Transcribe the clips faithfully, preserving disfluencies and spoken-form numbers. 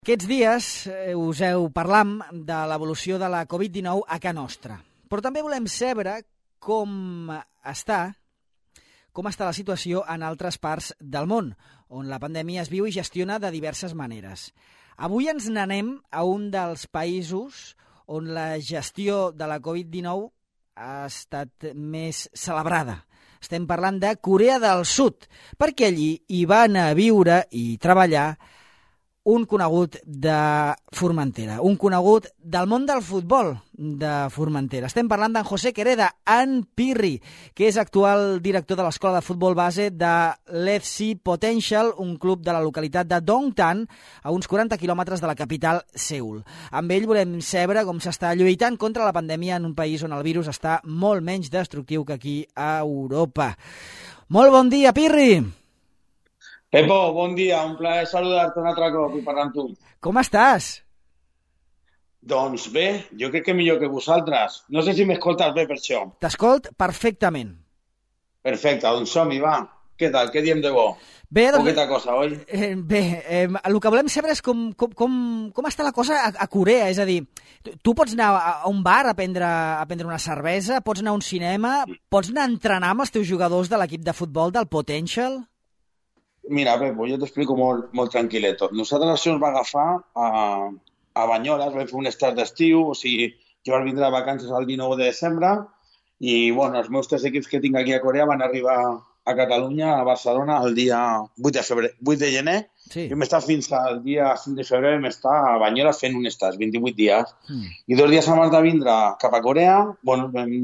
Aquests dies eh, us heu parlat de l'evolució de la covid dinou a casa nostra, però també volem saber com està, com està la situació en altres parts del món, on la pandèmia es viu i gestiona de diverses maneres. Avui ens n'anem a un dels països on la gestió de la covid dinou ha estat més celebrada. Estem parlant de Corea del Sud, perquè allí hi va anar a viure i treballar un conegut de Formentera, un conegut del món del futbol de Formentera. Estem parlant d'en José Quereda, en Pirri, que és actual director de l'escola de futbol base de l'F C Potential, un club de la localitat de Dongtan, a uns quaranta quilòmetres de la capital, Seül. Amb ell volem saber com s'està lluitant contra la pandèmia en un país on el virus està molt menys destructiu que aquí a Europa. Molt bon dia, Pirri! Pepo, bon dia, un plaer saludar-te un altre cop i parlar amb tu. Com estàs? Doncs bé, jo crec que millor que vosaltres. No sé si m'escoltes bé per això. T'escolt perfectament. Perfecte, doncs som-hi, va. Què tal? Què diem de bo? Bé, doncs, Poqueta cosa, oi? Eh, bé, eh, el que volem saber és com, com, com, com està la cosa a, a Corea, és a dir, tu, tu pots anar a, a un bar a prendre, a prendre una cervesa, pots anar a un cinema, pots anar a entrenar amb els teus jugadors de l'equip de futbol del Potential? Mira, Pepo, jo t'explico molt, molt tranquil·leto. Nosaltres això ens va agafar a, a Banyoles, vam fer un estat d'estiu, o sigui, jo vaig vindre de vacances el dinou de desembre i, bueno, els meus tres equips que tinc aquí a Corea van arribar a Catalunya, a Barcelona, el dia vuit de febrer, vuit de gener, sí. I vam estar fins al dia cinc de febrer, vam estar a Banyoles fent un estat, vint-i-vuit dies. Mm. I dos dies abans de vindre cap a Corea, bueno, vam,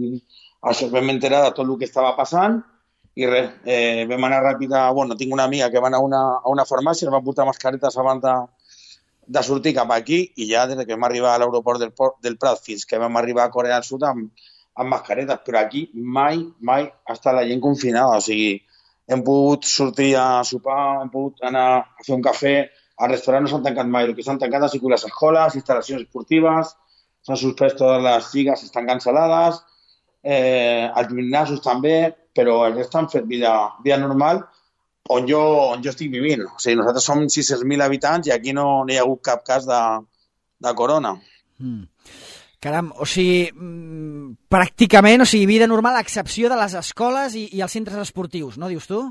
això vam enterar de tot el que estava passant. I res, eh, vam anar ràpid a... Bueno, tinc una amiga que va anar a una, a una farmàcia, ens va portar mascaretes abans de, de sortir cap aquí i ja des que vam arribar a l'aeroport del, del Prat fins que vam arribar a Corea del Sud amb, amb mascaretes. Però aquí mai, mai ha estat la gent confinada. O sigui, hem pogut sortir a sopar, hem pogut anar a fer un cafè, al restaurant no s'han tancat mai. El que s'han tancat ha sigut les escoles, instal·lacions esportives, s'han suspès totes les lligues, estan cancel·lades, eh, els gimnasos també, però el rest han fet vida, vida normal on jo, on jo estic vivint. O sigui, nosaltres som sis-cents mil habitants i aquí no, no hi ha hagut cap cas de, de corona. Mm. Caram, o sigui, pràcticament, o sigui, vida normal a excepció de les escoles i, i els centres esportius, no, dius tu?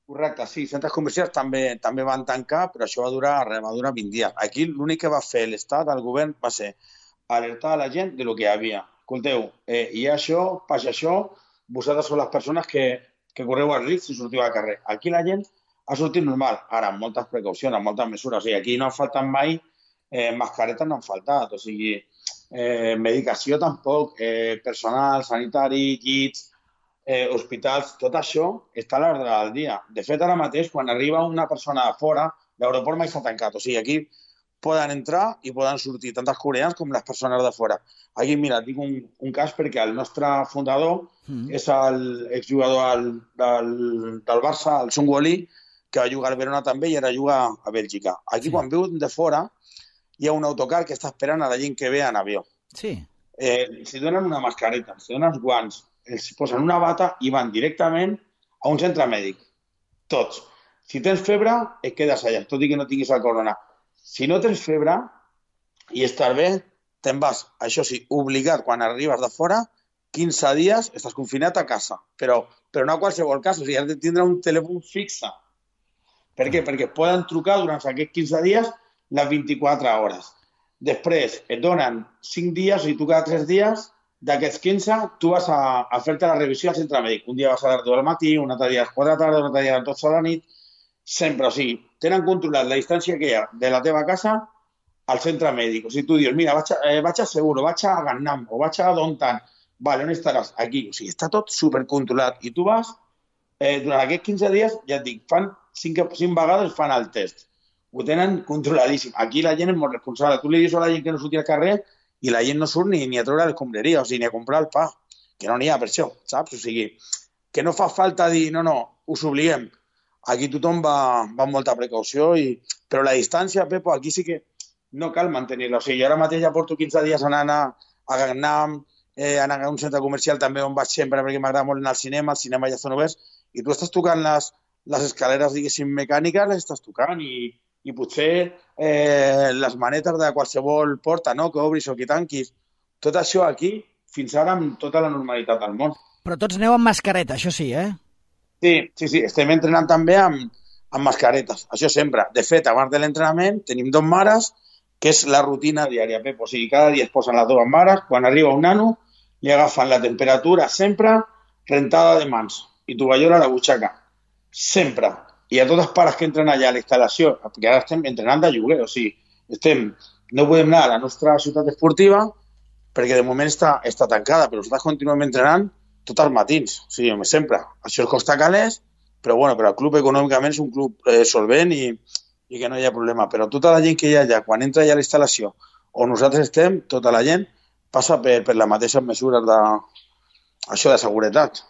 Correcte, sí, centres comercials també també van tancar, però això va durar, va durar vint dies. Aquí l'únic que va fer l'Estat, el govern, va ser alertar a la gent de lo que hi havia. Escolteu, eh, hi ha això, passa això, vosaltres sou les persones que, que correu el risc si sortiu al carrer. Aquí la gent ha sortit normal, ara amb moltes precaucions, amb moltes mesures. O sigui, aquí no han faltat mai, eh, mascaretes no han faltat, o sigui, eh, medicació tampoc, eh, personal, sanitari, llits, eh, hospitals, tot això està a l'ordre del dia. De fet, ara mateix, quan arriba una persona de fora, l'aeroport mai s'ha tancat. O sigui, aquí poden entrar i poden sortir tant els coreans com les persones de fora. Aquí, mira, tinc un, un cas perquè el nostre fundador mm. és l'exjugador del, del, del Barça, el Sun Woo-Lee, que va jugar al Verona també i ara juga a Bèlgica. Aquí, sí. Quan viu de fora, hi ha un autocar que està esperant a la gent que ve en avió. Sí. Eh, si donen una mascareta, si donen els guants, els posen una bata i van directament a un centre mèdic. Tots. Si tens febre, et quedes allà, tot i que no tinguis el corona. Si no tens febre i estàs bé, te'n vas, això sí, obligat quan arribes de fora, quinze dies estàs confinat a casa, però, però no a qualsevol cas, o sigui, has de tindre un telèfon fixe. Per què? Perquè et poden trucar durant aquests quinze dies les vint-i-quatre hores. Després et donen cinc dies, o sigui, tu cada tres dies, d'aquests quinze, tu vas a, a fer-te la revisió al centre mèdic. Un dia vas a les deu del matí, un altre dia a les quatre de la tarda, un altre dia a les dotze de la nit, sempre, o sigui, tenen controlat la distància que hi ha de la teva casa al centre mèdic. O sigui, tu dius, mira, vaig a, eh, vaig a Seguro, vaig a Gangnam o vaig a Dongtan. Vale, on estaràs? Aquí. O sigui, està tot supercontrolat. I tu vas, eh, durant aquests quinze dies, ja et dic, fan cinc, cinc vegades fan el test. Ho tenen controladíssim. Aquí la gent és molt responsable. Tu li dius a la gent que no surti al carrer i la gent no surt ni, ni a treure l'escombraria, o sigui, ni a comprar el pa, que no n'hi ha per això, saps? O sigui, que no fa falta dir, no, no, us obliguem. Aquí tothom va, va amb molta precaució, i, però la distància, Pepo, aquí sí que no cal mantenir-la. O sigui, jo ara mateix ja porto quinze dies anant a, a Gangnam, eh, anant a un centre comercial també on vaig sempre perquè m'agrada molt anar al cinema, el cinema ja estan oberts, i tu estàs tocant les, les escaleres, diguéssim, mecàniques, les estàs tocant i, i potser eh, les manetes de qualsevol porta, no?, que obris o que tanquis. Tot això aquí, fins ara, amb tota la normalitat del món. Però tots aneu amb mascareta, això sí, eh? Sí, sí, sí, estem entrenant també amb, amb mascaretes, això sempre. De fet, abans de l'entrenament tenim dos mares, que és la rutina diària, Pep. O sigui, cada dia es posen les dues mares, quan arriba un nano, li agafen la temperatura sempre, rentada de mans, i tovallola a la butxaca. Sempre. I a tots els pares que entren allà a la instal·lació, perquè ara estem entrenant de lloguer, o sigui, estem, no podem anar a la nostra ciutat esportiva perquè de moment està, està tancada, però nosaltres continuem entrenant tots els matins, o sigui, sempre. Això es costa calés, però bueno, però el club econòmicament és un club eh, solvent i, i que no hi ha problema. Però tota la gent que hi ha allà, quan entra allà a la instal·lació, on nosaltres estem, tota la gent passa per, per les mateixes mesures de, això de seguretat.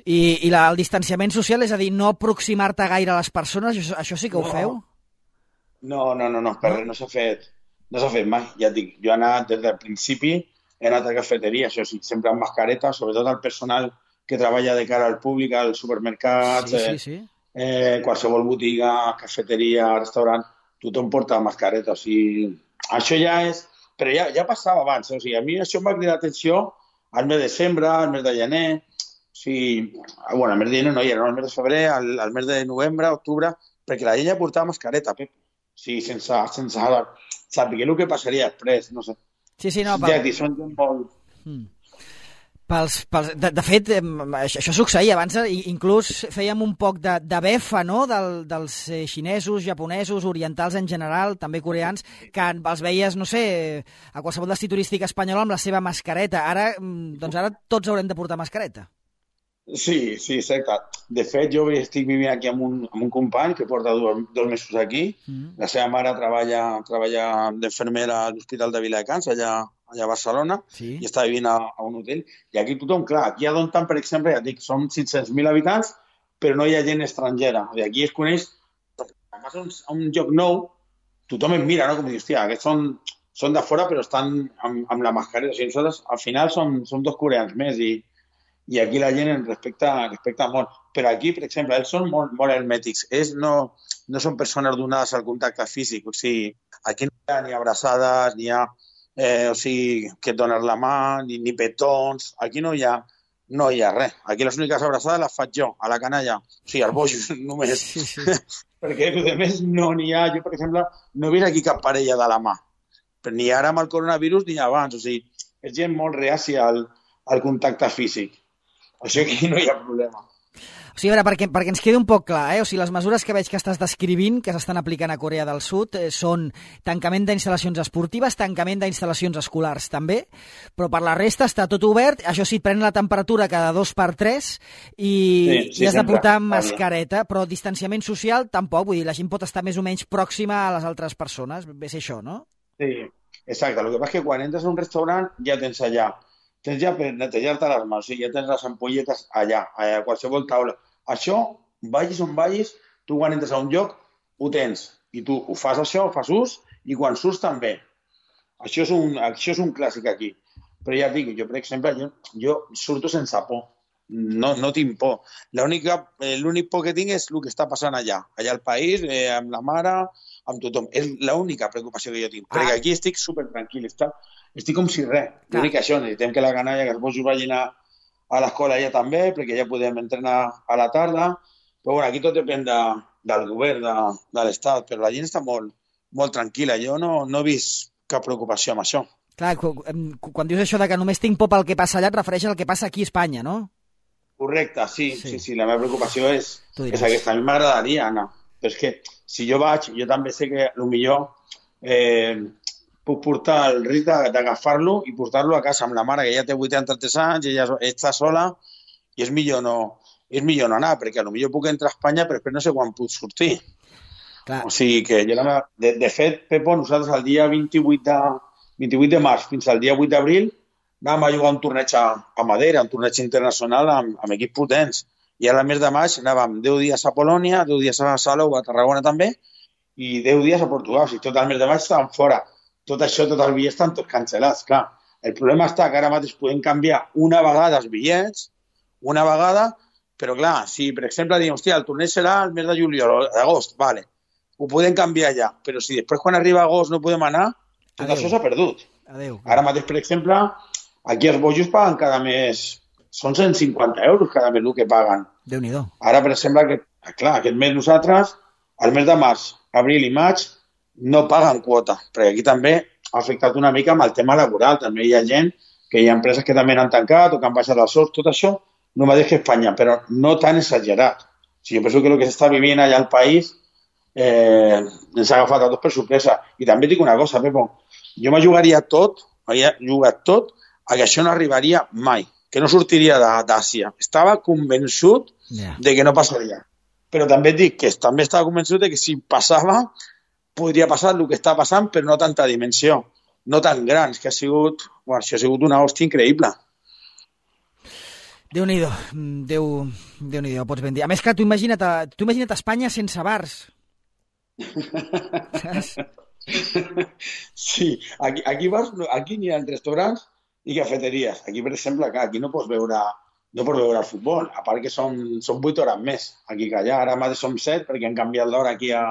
I, i la, el distanciament social, és a dir, no aproximar-te gaire a les persones, això, això sí que ho no. feu? No, no, no, no, per res, no s'ha fet, no s'ha fet mai. Ja et dic, jo he anat des del principi, he anat a cafeteria, això sí, sempre amb mascareta, sobretot el personal que treballa de cara al públic, al supermercat, sí, sí, sí. Eh, eh, qualsevol botiga, cafeteria, restaurant, tothom porta mascareta, o sigui, això ja és... Però ja, ja passava abans, eh? O sigui, a mi això em va cridar l'atenció al mes de desembre, al mes de gener, o sigui, bueno, al mes de gener no hi era, no, al mes de febrer, al, al mes de novembre, octubre, perquè la gent ja portava mascareta, Pep. O sigui, sense, sense saber el que passaria després, no sé. Sí, sí, no, ja, pel... són gent molt... Mm. Pels, pels, de, de fet, això, això succeïa abans, inclús fèiem un poc de, de befa, no?, Del, dels xinesos, japonesos, orientals en general, també coreans, que els veies, no sé, a qualsevol destí turístic espanyol amb la seva mascareta. Ara, doncs ara tots haurem de portar mascareta. Sí, sí, exacte. De fet, jo estic vivint aquí amb un, amb un company que porta dos, dos mesos aquí. Mm. La seva mare treballa, treballa d'infermera a l'Hospital de Viladecans, allà, allà a Barcelona, sí. I està vivint a, a un hotel. I aquí tothom, clar, aquí a Dontan, per exemple, ja dic, són sis-cents mil habitants, però no hi ha gent estrangera. I aquí es coneix, a un, a un lloc nou, tothom em mira, no? Com dir, hòstia, aquests són, són de fora, però estan amb, amb la mascareta. O sigui, nosaltres, al final, som, som dos coreans més i i aquí la gent ens respecta, respecta molt. Però aquí, per exemple, ells són molt, molt hermètics. Ells no, no són persones donades al contacte físic. O sigui, aquí no hi ha ni abraçades, ni hi ha eh, o sigui, que et dones la mà, ni, ni petons. Aquí no hi ha, no hi ha res. Aquí les úniques abraçades les faig jo, a la canalla. O sigui, als bojos, només. Sí, sí. Perquè, a més, no n'hi ha... Jo, per exemple, no he vist aquí cap parella de la mà. Però ni ara amb el coronavirus ni abans. O sigui, és gent molt reàcia al, al contacte físic. Això aquí no hi ha problema. O sigui, a veure, perquè, perquè ens quedi un poc clar, eh? O sigui, les mesures que veig que estàs descrivint, que s'estan aplicant a Corea del Sud, eh, són tancament d'instal·lacions esportives, tancament d'instal·lacions escolars també, però per la resta està tot obert, això sí, pren la temperatura cada dos per tres i, sí, sí, i has de portar mascareta, però distanciament social tampoc, vull dir, la gent pot estar més o menys pròxima a les altres persones, ve ser això, no? Sí, exacte. El que passa és que quan entres a un restaurant ja tens allà tens ja per netejar-te les mans, o sigui, ja tens les ampolletes allà, a qualsevol taula. Això, vagis on vagis, tu quan entres a un lloc ho tens, i tu ho fas això, ho fas ús, i quan surts també. Això és un, això és un clàssic aquí. Però ja et dic, jo, per exemple, jo, jo surto sense por, no, no tinc por. L'únic por que tinc és el que està passant allà, allà al país, eh, amb la mare, amb tothom. És l'única preocupació que jo tinc, ah. perquè aquí estic supertranquil, està... Estic com si res. L'únic que això, necessitem que la canalla, que els bojos vagin a, a l'escola ja també, perquè ja podem entrenar a la tarda. Però bueno, aquí tot depèn de, del govern, de, de l'Estat, però la gent està molt, molt tranquil·la. Jo no, no he vist cap preocupació amb això. Clar, quan dius això de que només tinc por pel que passa allà, et refereix al que passa aquí a Espanya, no? Correcte, sí, sí, sí. sí la meva preocupació és, és aquesta. A mi m'agradaria anar. Però és que si jo vaig, jo també sé que potser eh, puc portar el risc d'agafar-lo i portar-lo a casa amb la mare, que ja té vuitanta-tres anys, ella està sola, i és millor no, és millor no anar, perquè potser puc entrar a Espanya, però després no sé quan puc sortir. Clar. O sigui que jo, la, de, de fet, Pepo, nosaltres el dia vint-i-vuit de, vint-i-vuit de març fins al dia vuit d'abril anàvem a jugar un torneig a, a Madeira, un torneig internacional amb, amb equips potents. I ara al mes de maig anàvem deu dies a Polònia, deu dies a Salou, a Tarragona també, i deu dies a Portugal. O sigui, tot el mes de maig estàvem fora. Tot això, tots els bitllets estan tots cancel·lats, clar. El problema està que ara mateix podem canviar una vegada els bitllets, una vegada, però clar, si per exemple diem, hòstia, el torneig serà el mes de juliol o d'agost, vale. ho podem canviar ja, però si després quan arriba agost no podem anar, tot Adeu. això s'ha perdut. Adéu. Ara mateix, per exemple, aquí els bojos paguen cada mes, són cent cinquanta euros cada mes el que paguen. Déu-n'hi-do. Ara, per exemple, que, clar, aquest mes nosaltres, al mes de març, abril i maig, no paguen quota, perquè aquí també ha afectat una mica amb el tema laboral. També hi ha gent, que hi ha empreses que també han tancat o que han baixat els sous, tot això, no mateix que Espanya, però no tan exagerat. O sigui, jo penso que el que s'està vivint allà al país eh, ens ha agafat a tots per sorpresa. I també dic una cosa, Pepo, jo me jugaria tot, havia jugat tot, a que això no arribaria mai, que no sortiria d'Àsia. Estava convençut Yeah. de que no passaria. Però també et dic que també estava convençut de que si passava, podria passar el que està passant, però no tanta dimensió, no tan grans, que ha sigut, bueno, això ha sigut una hòstia increïble. Déu-n'hi-do, Déu, Déu-n'hi-do, pots ben dir. A més, clar, tu imagina't, a, tu imagina't Espanya sense bars. Saps? Sí, aquí, aquí, vas, aquí n'hi ha restaurants i cafeteries. Aquí, per exemple, clar, aquí no pots veure, no pots veure el futbol, a part que són, són vuit hores més aquí que allà. Ara mateix som set, perquè han canviat l'hora aquí a,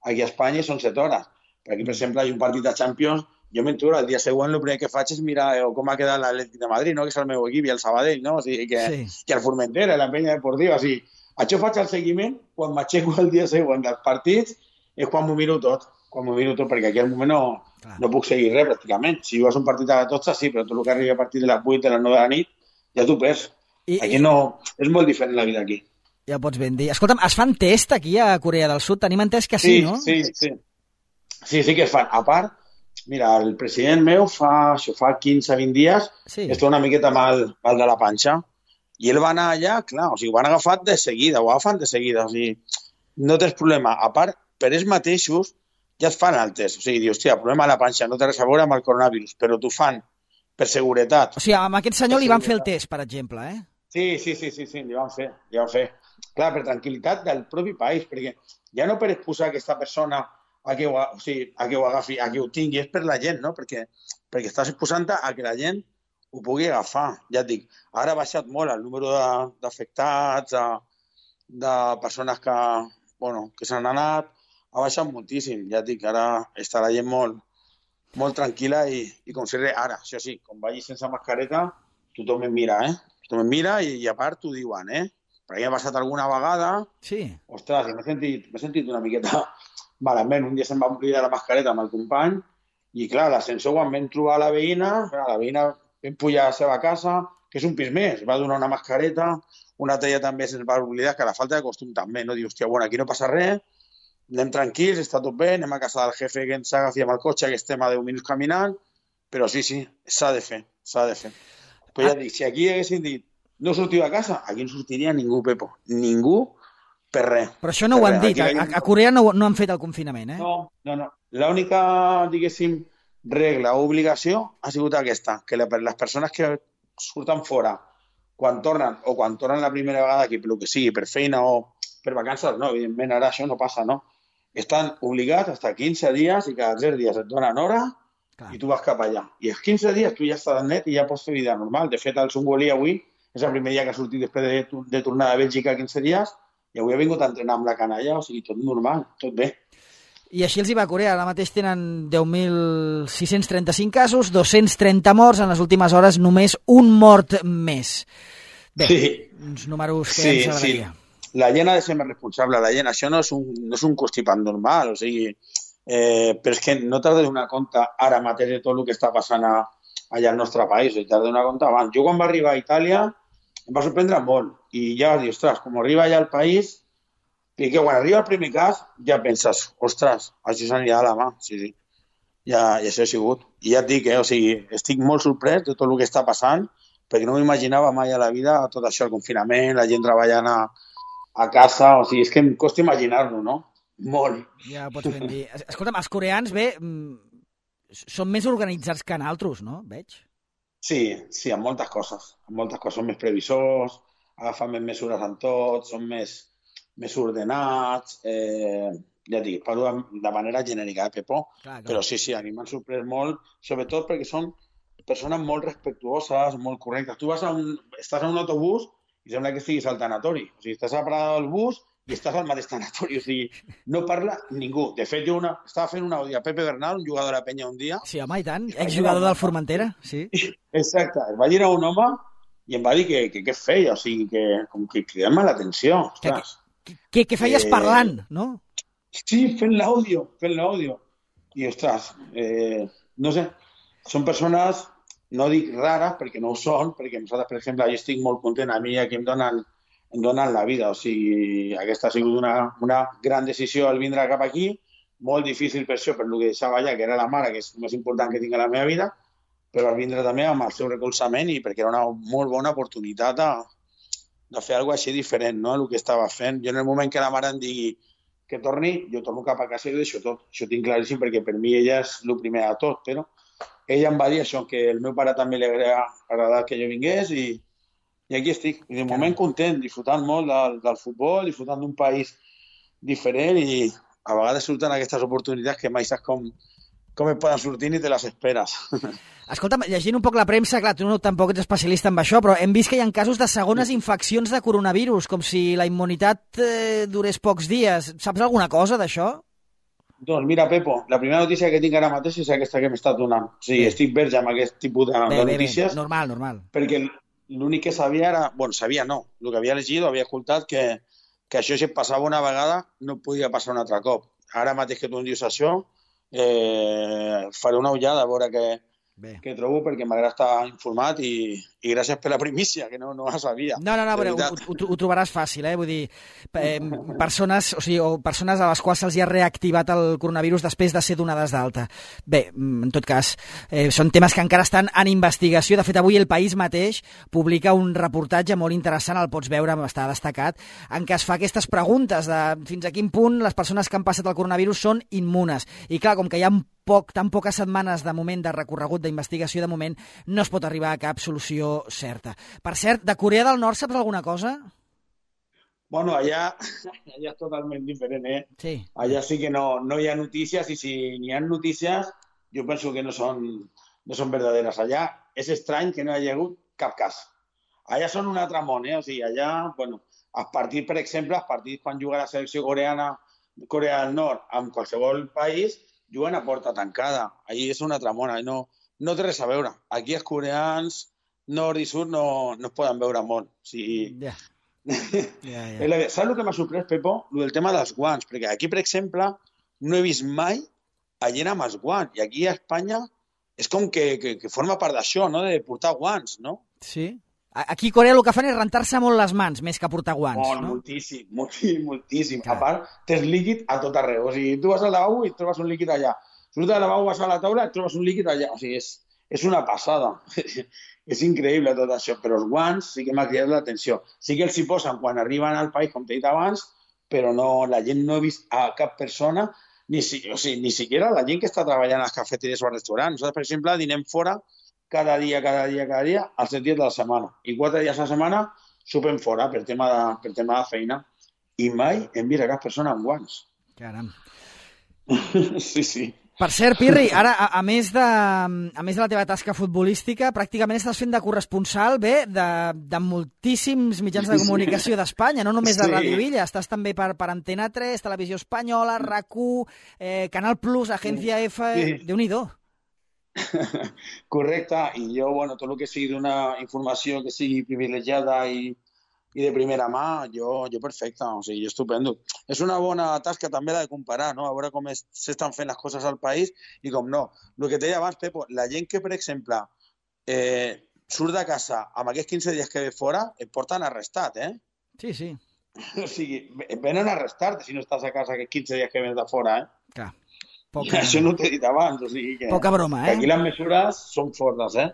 aquí a Espanya i són set hores. Però aquí, per exemple, hi ha un partit de Champions, jo m'enturo, el dia següent el primer que faig és mirar eh, com ha quedat l'Atlètic de Madrid, no? Que és el meu equip, i el Sabadell, no? O sigui, que, Sí. que el Formentera, la penya deportiva. O sigui, això faig el seguiment, quan m'aixeco el dia següent dels partits, és quan m'ho miro tot, quan m'ho miro tot, perquè aquí al moment no, Clar. no puc seguir res, pràcticament. Si jugues un partit a la dotze, sí, però tot el que arriba a partir de les vuit, de les nou de la nit, ja t'ho perds. I, Aquí i, no... És molt diferent la vida aquí. ja pots ben dir. Escolta'm, es fan test aquí a Corea del Sud? Tenim entès que sí, Sí, no? sí, sí. Sí, sí que es fan. A part, mira, el president meu fa, això fa quinze vint dies, Sí. està una miqueta mal, mal de la panxa, i ell va anar allà, clar, o sigui, ho han agafat de seguida, ho agafen de seguida, o sigui, no tens problema. A part, per ells mateixos ja et fan el test, o sigui, dius, hòstia, problema a la panxa, no té res a veure amb el coronavirus, però t'ho fan per seguretat. O sigui, amb aquest senyor li van fer el test, per exemple, eh? Sí, sí, sí, sí, sí, li van fer, li van fer. Clar, per tranquil·litat del propi país, perquè ja no per exposar aquesta persona a que ho, o sigui, a que ho agafi, a que ho tingui, és per la gent, no? Perquè, perquè estàs exposant a que la gent ho pugui agafar. Ja et dic, ara ha baixat molt el número de- d'afectats, de, de persones que, bueno, que s'han anat, ha baixat moltíssim. Ja et dic, ara està la gent molt, molt tranquil·la i, i com si res. Ara, això sí, quan vagis sense mascareta, tothom em mira, eh? Tothom em mira i, i a part t'ho diuen, eh? Perquè ha passat alguna vegada, Sí. ostres, m'he sentit, m'he sentit una miqueta malament. Un dia se'm va oblidar la mascareta amb el company i, clar, a l'ascensor quan vam trobar la veïna, clar, la veïna vam pujar a la seva casa, que és un pis més, va donar una mascareta, una altra ja també se'ns va oblidar, que la falta de costum també, no? Diu, hòstia, bueno, aquí no passa res, anem tranquils, està tot bé, anem a casa del jefe que ens agafi amb el cotxe, que estem a deu minuts caminant, però sí, sí, s'ha de fer, s'ha de fer. Però ja dic, si aquí haguessin dit, no sortiu a casa, aquí no sortiria ningú, Pepo, ningú, per res. Però això no ho Per han res. dit. Aquí A, la gent- a Corea no, no han fet el confinament, eh? No, no, no. L'única, diguéssim, regla o obligació ha sigut aquesta, que la- les persones que surten fora quan tornen, o quan tornen la primera vegada aquí, pel que sigui, per feina o per vacances, no, evidentment ara això no passa, no? Estan obligats a estar quinze dies i cada tres dies et donen hora Clar. i tu vas cap allà. I els quinze dies tu ja estàs net i ja pots fer vida normal. De fet, el Sungolí avui és el primer dia que ha sortit després de, de tornar a Bèlgica quinze dies i avui ha vingut a entrenar amb la canalla, o sigui, tot normal, tot bé. I així els hi va a Corea. Ara mateix tenen deu mil sis-cents trenta-cinc casos, dos-cents trenta morts, en les últimes hores només un mort més. Bé, Sí. uns números que Sí, ens agradaria. La gent ha de ser més responsable. La gent, això no és un, no és un constipat normal, o sigui, eh, però és que no t'has de donar compte ara mateix de tot el que està passant a, allà al nostre país, t'has de donar compte abans. Jo quan va arribar a Itàlia em va sorprendre molt i ja vas dir, ostres, com arriba allà al país, i que quan arriba el primer cas ja penses, ostres, això s'anirà a la mà, sí, sí. Ja, ja això ha sigut. I ja et dic, eh, o sigui, estic molt sorprès de tot el que està passant, perquè no m'imaginava mai a la vida tot això, el confinament, la gent treballant a, a casa, o sigui, és que em costa imaginar-lo, no? Molt. Ja pots ben dir. Es- Escolta'm, els coreans, bé, mm, són més organitzats que naltros, no? Veig. Sí, sí, en moltes coses. En moltes coses són més previsors, agafen més mesures en tot, són més, més ordenats, eh, ja et dic, parlo de, de manera genèrica, eh, Pepo? Clar, clar. Però sí, sí, a mi m'han sorprès molt, sobretot perquè són persones molt respectuoses, molt correctes. Tu vas a un, estàs a un autobús i sembla que estiguis al tanatori. O sigui, estàs a la parada del bus i estàs al mateix tanatori, o sigui, no parla ningú. De fet, jo una, estava fent un àudio a Pepe Bernal, un jugador de la penya un dia. Sí, home, i tant, exjugador del Formentera, sí. Exacte, es va girar un home i em va dir que què feia, o sigui, que com que cridant-me l'atenció, ostres. Què feies eh... parlant, no? Sí, fent l'àudio, fent l'àudio. I, ostres, eh, no sé, són persones, no dic rares, perquè no ho són, perquè nosaltres, per exemple, jo estic molt content, a mi aquí em donen em donen la vida, o sigui, aquesta ha sigut una, una gran decisió el vindre cap aquí, molt difícil per això, per el que deixava allà, que era la mare, que és el més important que tinc a la meva vida, però al vindre també amb el seu recolzament i perquè era una molt bona oportunitat de, de fer alguna cosa així diferent, no?, el que estava fent. Jo en el moment que la mare em digui que torni, jo torno cap a casa i ho deixo tot. Això ho tinc claríssim perquè per mi ella és el primer de tot, però ella em va dir això, que el meu pare també li agrada agradat que jo vingués i I aquí estic, i de moment content, disfrutant molt del, del futbol, disfrutant d'un país diferent i a vegades surten aquestes oportunitats que mai saps com, com et poden sortir ni te les esperes. Escolta'm, llegint un poc la premsa, clar, tu no tampoc ets especialista en això, però hem vist que hi ha casos de segones infeccions de coronavirus, com si la immunitat eh, durés pocs dies. Saps alguna cosa d'això? Doncs mira, Pepo, la primera notícia que tinc ara mateix és aquesta que m'estàs donant. O sigui, bé. Estic verge amb aquest tipus de, bé, de notícies. Bé, bé. Normal, normal. Perquè l'únic que sabia era... Bueno, sabia no. El que havia llegit o havia escoltat que, que això si passava una vegada no podia passar un altre cop. Ara mateix que tu em dius això, eh, faré una ullada a veure què, què trobo perquè m'agrada estar informat i, i gràcies per la primícia, que no, no la sabia. No, no, no, però ho, ho, ho trobaràs fàcil, eh? Vull dir, eh, persones, o sigui, o persones a les quals se'ls ha reactivat el coronavirus després de ser donades d'alta. Bé, en tot cas, eh, són temes que encara estan en investigació. De fet, avui El País mateix publica un reportatge molt interessant, el pots veure, està destacat, en què es fa aquestes preguntes de fins a quin punt les persones que han passat el coronavirus són immunes. I clar, com que hi ha poc, tan poques setmanes de moment de recorregut d'investigació, de moment no es pot arribar a cap solució certa. Per cert, de Corea del Nord saps alguna cosa? Bueno, allà, allà és totalment diferent, eh? Sí. Allà sí que no, no hi ha notícies i si n'hi ha notícies jo penso que no són, no són verdaderes. Allà és estrany que no hi hagi hagut cap cas. Allà són un altre món, eh? O sigui, allà, bueno, els partits, per exemple, els partits quan juga la selecció coreana, Corea del Nord, amb qualsevol país, juguen a porta tancada. Allí és una altra món, no, no té res a veure. Aquí els coreans nord i sud no, no es poden veure molt. O sigui... Yeah. Yeah, yeah. Saps el que m'ha sorprès, Pepo? El tema dels guants, perquè aquí, per exemple, no he vist mai a gent amb els guants, i aquí a Espanya és com que, que, que forma part d'això, no?, de portar guants, no? Sí. Aquí a Corea el que fan és rentar-se molt les mans, més que portar guants, molt, no? Moltíssim, moltíssim, moltíssim. Clar. A part, tens líquid a tot arreu. O sigui, tu vas al lavabo i et trobes un líquid allà. Surts del lavabo, vas a la taula i et trobes un líquid allà. O sigui, és, és una passada. És increïble tot això, però els guants sí que m'ha cridat l'atenció. Sí que els hi posen quan arriben al país, com t'he dit abans, però no, la gent no ha vist a cap persona, ni, si, o sigui, ni siquiera la gent que està treballant a les cafeteries o als restaurants. Nosaltres, per exemple, dinem fora cada dia, cada dia, cada dia, els set dies de la setmana. I quatre dies a la setmana sopem fora per tema de, per tema de feina. I mai hem vist a cap persona amb guants. Caram. Sí, sí. Per cert, Pirri, ara, a, a, més de, a més de la teva tasca futbolística, pràcticament estàs fent de corresponsal, bé, de, de moltíssims mitjans de comunicació d'Espanya, no només de sí. Ràdio Illa, estàs també per, per Antena tres, Televisió Espanyola, RAC u, eh, Canal Plus, Agència F... Sí. Déu-n'hi-do. Correcte, i jo, bueno, tot el que sigui d'una informació que sigui privilegiada i, i de primera mà, jo, jo perfecte, o sigui, estupendo. És una bona tasca també la de comparar, no?, a veure com s'estan fent les coses al país i com no. El que et deia abans, Pepo, la gent que, per exemple, eh, surt de casa amb aquests quinze dies que ve fora, et porten arrestat, eh? Sí, sí. O sigui, venen a arrestar-te si no estàs a casa aquests quinze dies que vens de fora, eh? Clar. Poca... Això no t'he dit abans, o sigui que... Poca broma, eh? Aquí les mesures són fortes, eh?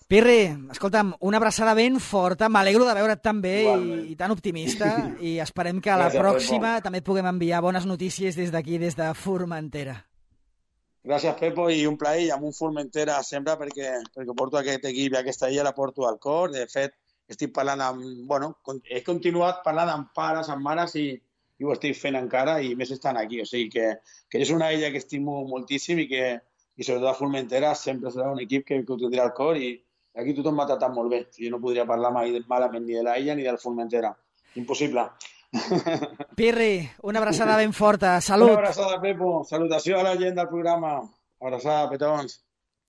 Pirri, escolta'm, una abraçada ben forta, m'alegro de veure't tan bé i, i tan optimista, i esperem que a la Gràcies, pròxima Pepo. També et puguem enviar bones notícies des d'aquí, des de Formentera. Gràcies, Pepo, i un plaer, i amb un Formentera sempre, perquè, perquè porto aquest equip i aquesta illa la porto al cor. De fet, estic parlant amb... Bueno, he continuat parlant amb pares, amb mares, i i ho estic fent encara, i més estan aquí. O sigui que, que és una illa que estimo moltíssim i que, i sobretot a Formentera, sempre serà un equip que, que ho tindrà al cor, i aquí tothom m'ha tratat molt bé. Jo no podria parlar mai malament ni de la illa ni del Formentera. Impossible. Pirri, una abraçada ben forta. Salut. Una abraçada, Pepo. Salutació a la gent del programa. Abraçada, petons.